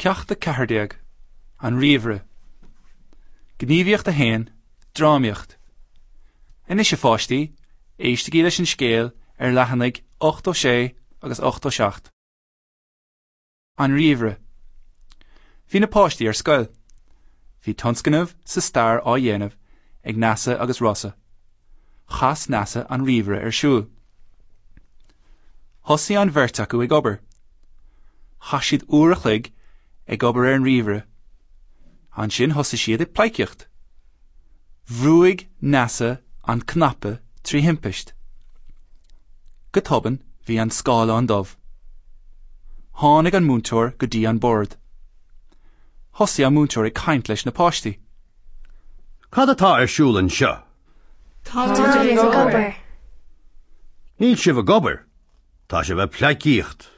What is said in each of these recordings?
Ceacht 14, An Ríomhaire. Gníomhaíocht 1, Drámaíocht. Anois a pháistí, éistigí leis an scéal ar leathanaigh 86 agus 87. An Ríomhaire. Bhí na páistí ar scoil. Bhí tionscnamh sa stair á dhéanamh ag Neasa agus Rossa. Chas Neasa an ríomhaire ar siúl. Thosaigh an bheirt acu ag obair. Chaith siad uair a chloig ag obair ar an ríomhaire. Ansin thosaigh siad ag pleidhcíocht. Bhrúigh Neasa an cnaipe trí thimpist. Go tobann bhí an scáileán dubh. Tháinig an múinteoir go dtí an bord. Thosaigh an múinteoir ag caint leis na páistí. Cad atá ar siúl anseo? Táimid ag obair. Níl sibh ag obair. Tá sibh ag pleidhcíocht.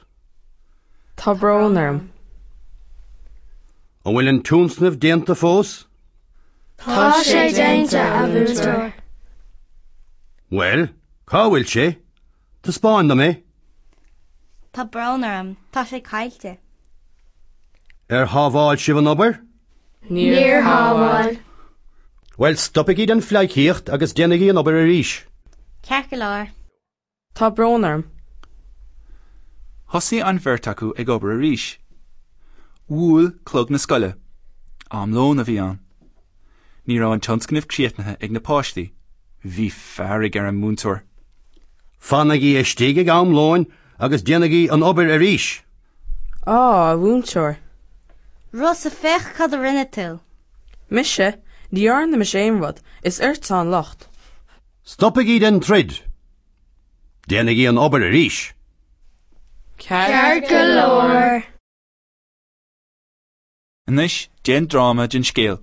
Tá brón orm. An bhfuil an tionscnamh déanta fós? Tá sé déanta, a mhúinteoir. Bhuel, cá bhfuil sé? Taispeáin dom é. Tá brón orm, tá sé caillte. Ar shábháil sibh an obair? Níor shábháil. Bhuel, stopaigí den phleidhcíocht agus déanaigí an obair arís. Ceart go leor. Tá brón orm. Thosaigh an bheirt acu ag obair arís. Bhuail clog na scoile. Am lóin a bhí ann. Ní raibh an tionscnamh críochnaithe ag na páistí. Bhí fearg ar an múinteoir. Fanaigí istigh ag am lóin agus déanaigí an obair arís. Á, a mhúinteoir. Rossa, féach cad a rinne tú. Mise? Ní dhearna mise aon rud. Is ortsa an locht. Stopaigí den troid! Déanaigí an obair arís. Ceart go leor. Anois déan dráma den scéal.